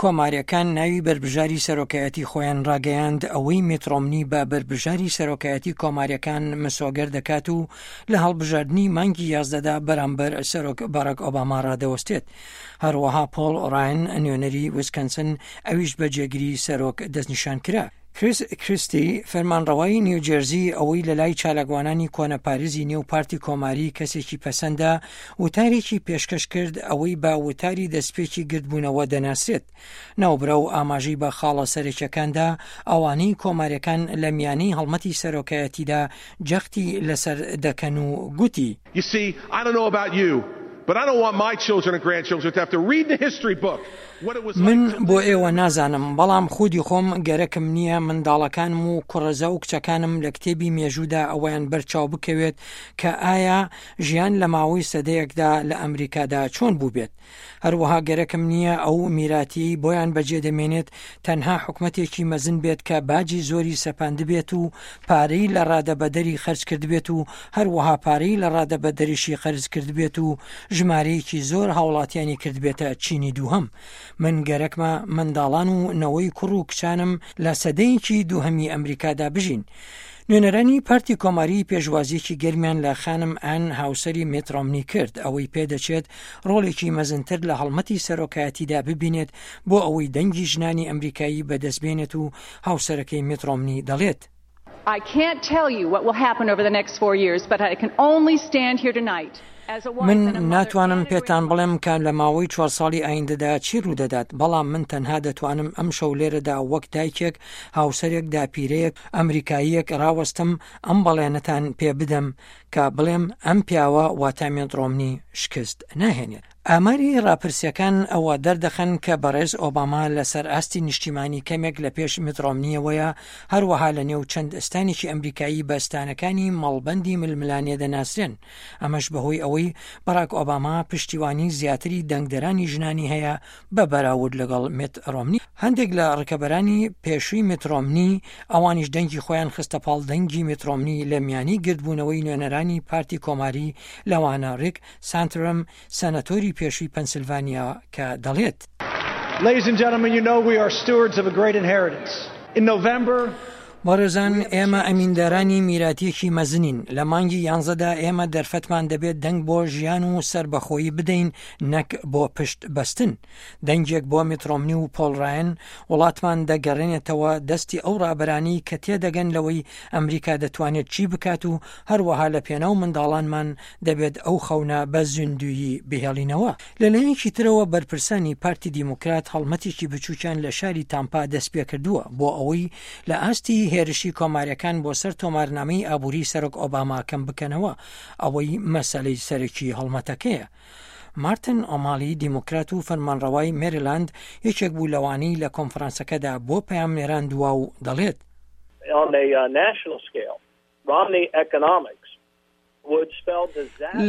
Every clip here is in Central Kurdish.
کۆمارییەکان ناوی بەربژاری سەرۆکایەتی خۆیان ڕاگەیاند، ئەوەی میت ڕۆمنی بە بەربژاری سەرۆکایەتی کۆمارییەکان مسۆگەر دەکات و لە هەڵبژاردنی مانگی یازدەدا بەرامبەر سەرۆک باراک ئۆباما ڕادەوەستێت. هەروەها پۆڵ ڕاین نوێنەری ویسکەنسن ئەویش بە جێگری سەرۆک دەستنیشان کرا. کریس کریستی، فەرمانڕەوای نیوجێرزی، ئەوەی لەلای چالاکوانانی کۆنەپارێزی نێو پارتی کۆماری کەسێکی پەسەندە، وتارێکی پێشکەش کرد ئەوەی بە وتاری دەستپێکی گردبوونەوە دەناسرێت. ناوبراو ئاماژەی بە خاڵە سەرەکیەکان دا، ئەوانەی کۆماریەکان لە میانەی هەڵمەتی سەرۆکایەتیدا جەختی لەسەر دەکەن و گوتی. You see, I don't know about you, but I don't want my children and grandchildren to have to read in the history book what it was like من to بۆ live in ئێوە America. نازانم، بەڵام خودی خۆم گەرەکم نییە منداڵەکانم و کوڕەزا و کچەکانم لە کتێبی مێژوودا ئەوەیان بەر چاو بکەوێت کە ئایا ژیان لە ماوەی سەدەیەکدا لە ئەمریکادا چۆن بووبێت. هەروەها گەرەکم نییە ئەو میراتییەی بۆیان بەجێ دەمێنێت تەنها حکومەتێکی مەزن بێت کە باجی زۆری سەپاندبێت و پارەی لە ڕادەبەدەری خەرج کردبێت و هەروەها پارەی لە ڕادەبەدەریشی قەرز کردبێت و ژمارەیەکی زۆر هاوڵاتیانی کردبێتە چینی دووهەم. من گەرەکمە منداڵان و نەوەی کوڕ و کچانم لە سەدەیەکی دووهەمی ئەمریکادا بژین. نوێنەرانی پارتی کۆماری پێشوازییەکی گەرمیان لە خانم ئان هاوسەری میت ڕۆمنی کرد، ئەوەی پێدەچێت ڕۆڵێکی مەزنتر لە هەڵمەتی سەرۆکایەتیدا ببینێت بۆ ئەوەی دەنگی ژنانی ئەمریکایی بەدەستبێنێت و هاوسەرەکەی میت ڕۆمنی دەڵێت. I can't tell you what will happen over the next four years, but I can only stand here tonight من ناتوانم پێتان بڵێم کە لە ماوەی چوار ساڵی ئایندەدا چی ڕوودەدات، بەڵام من تەنها دەتوانم ئەمشەو لێرەدا وەک دایکێک، هاوسەرێک، داپیرەیەک، ئەمریکاییەک ڕاوەستم ئەم بەڵێنەتان پێ بدەم کە بڵێم ئەم پیاوە واتە مێت ڕۆمنی شکست ناهێنێت. ئاماری ڕاپرسیەکان ئەوە دەردەخەن کە بەڕێز ئۆباما لەسەر ئاستی نیشتیمانی کەمێک لە پێش میت ڕۆمنیەوەیە، هەروەها لە نێو چەند ستانێکی ئەمریکایی بە ستانەکانی مەڵبەندی ململانێ دەناسرێن، ئەمەش بەهۆی ئەوەی باراک ئۆباما پشتیوانی زیاتری دەنگدەرانی ژنانی هەیە بە بەراورد لەگەڵ میت ڕۆمنی. هەندێک لە ڕکەبەرانی پێشووی میت ڕۆمنی ئەوانیش دەنگی خۆیان خستە پاڵ دەنگی میت ڕۆمنی لە میانی گردبوونەوەی نوێنەرانی پارتی کۆماری لەوانە ڕیک سانترم سەنەتۆری پێشووی پەنسلڤانیا کە دەڵێت. Ladies and gentlemen, you know we are stewards of a great inheritance. In November, بەڕێزان ئێمە ئەمیندارانی میراتییەکی مەزنین، لە مانگی یانزەدا ئێمە دەرفەتمان دەبێت دەنگ بۆ ژیان و سەربەخۆیی بدەین نەک بۆ پشت بەستن. دەنگێک بۆ میت ڕۆمنی و پۆڵ ڕایەن، وڵاتمان دەگەڕێنێتەوە دەستی ئەو ڕابەرانەی کە تێدەگەن لەوەی ئەمریکا دەتوانێت چی بکات و هەروەها لە پێناو منداڵانمان دەبێت ئەو خەونە بە زیندوویی بهێڵینەوە. لەلایەکی ترەوە بەرپرسانی پارتی دیموکرات هەڵمەتێکی بچووکیان لە شاری تامپا دەستپێکردووە بۆ ئەوەی لە ئاستی هێرشی کۆماریەکان بۆ سەر تۆمارنامەی ئابووری سەرۆک ئۆباما کەم بکەنەوە، ئەوەی مەسەلەی سەرەکی هەڵمەتەکەیە. مارتن ئۆمالی دیموکرات و فەرمانڕەوای مێریلاند یەکێک بوو لەوانەی لە کۆنفرانسەکەدا بۆ پەیامنێران دوا و دەڵێت. On a national scale, Romney economics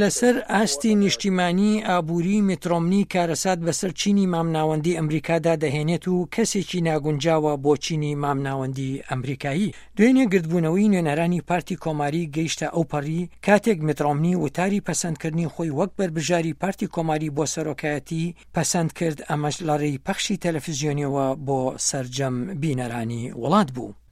لەسەر ئاستی نیشتیمانی، ئابووری میت ڕۆمنی کارەسات بەسەر چینی مامناوەندی ئەمریکادا دەهێنێت و کەسێکی ناگونجاوە بۆ چینی مامناوەندی ئەمریکایی. دوێنێ گردبوونەوەی نوێنەرانی پارتی کۆماری گەیشتە ئەوپەڕی، کاتێک میت ڕۆمنی وتاری پەسەندکردنی خۆی وەک بەربژاری پارتی کۆماری بۆ سەرۆکایەتی پەسەند کرد، ئەمەش لەڕێی پەخشی تەلەفزیۆنیەوە بۆ سەرجەم بینەرانی وڵات بوو.